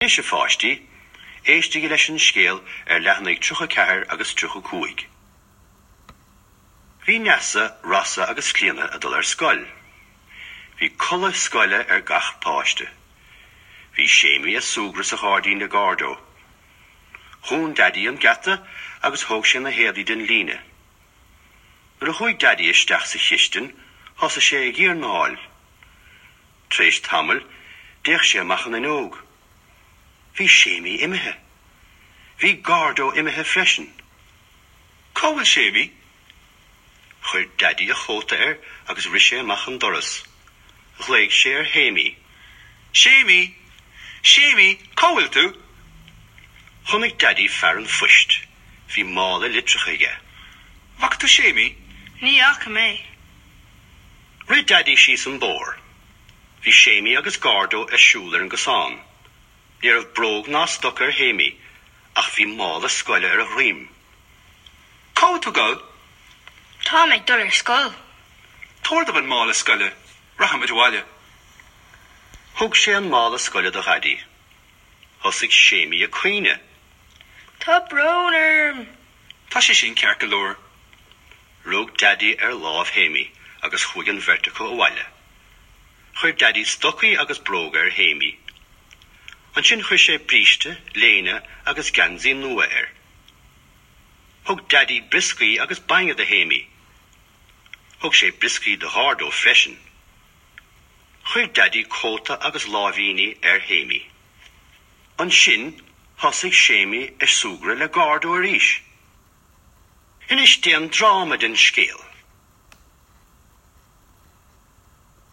Anois, a pháistí, éistigí leis an scéal ar leathanaigh 34 agus 35. Bhí Neasa, Rossa agus Clíona ag dul ar scoil. Bhí culaith scoile ar gach páiste. Bhí Séimí ag súgradh sa ghairdín le Gordo. Dhún Daidí an geata agus thóg sé na héadaí den líne. Nuair a chuaigh Daidí isteach sa chistin, thosaigh sé ag iarnáil. Tar éis tamaill, d'fhéach sé amach an fhuinneog. Bhí Séimí imithe. Bhí Gordo imithe freisin. Cá bhfuil Séimí? Chuir Daidí a chóta air agus rith sé amach an doras. Ghlaoigh sé ar Shéimí. Séimí! Séimí, cá bhfuil tú? Chonaic Daidí fear an phoist. Bhí mála litreacha aige. Bhfaca tú Séimí? Ní fhaca mé. Rith Daidí síos an bóthar. Bhí Séimí agus Gordo ag siúl ar an gcosán. Ní raibh bróg ná stoc ar Shéimí, ach bhí mála scoile ar a dhroim. Cá bhfuil tú ag dul? Táim ag dul ar scoil. Tabhair dom an mála scoile, rachaimid abhaile. Thug sé an mála scoile do Dhaidí. Thosaigh Séimí ag caoineadh. Tá brón orm. Tá sé sin ceart go leor. Rug Daidí ar lámh Shéimí agus chuaigh an bheirt acu abhaile. Chuir Daidí stocaí agus bróga ar Shéimí. Ansin chuir sé bríste, léine agus geansaí nua air. Thug Daidí brioscaí agus bainne do Shéimí. Thug sé brioscaí do Ghordo freisin. Chuir Daidí cóta agus láimhíní ar Shéimí. Ansin thosaigh Séimí ag súgradh le Gordo arís. Anois déan dráma den scéal.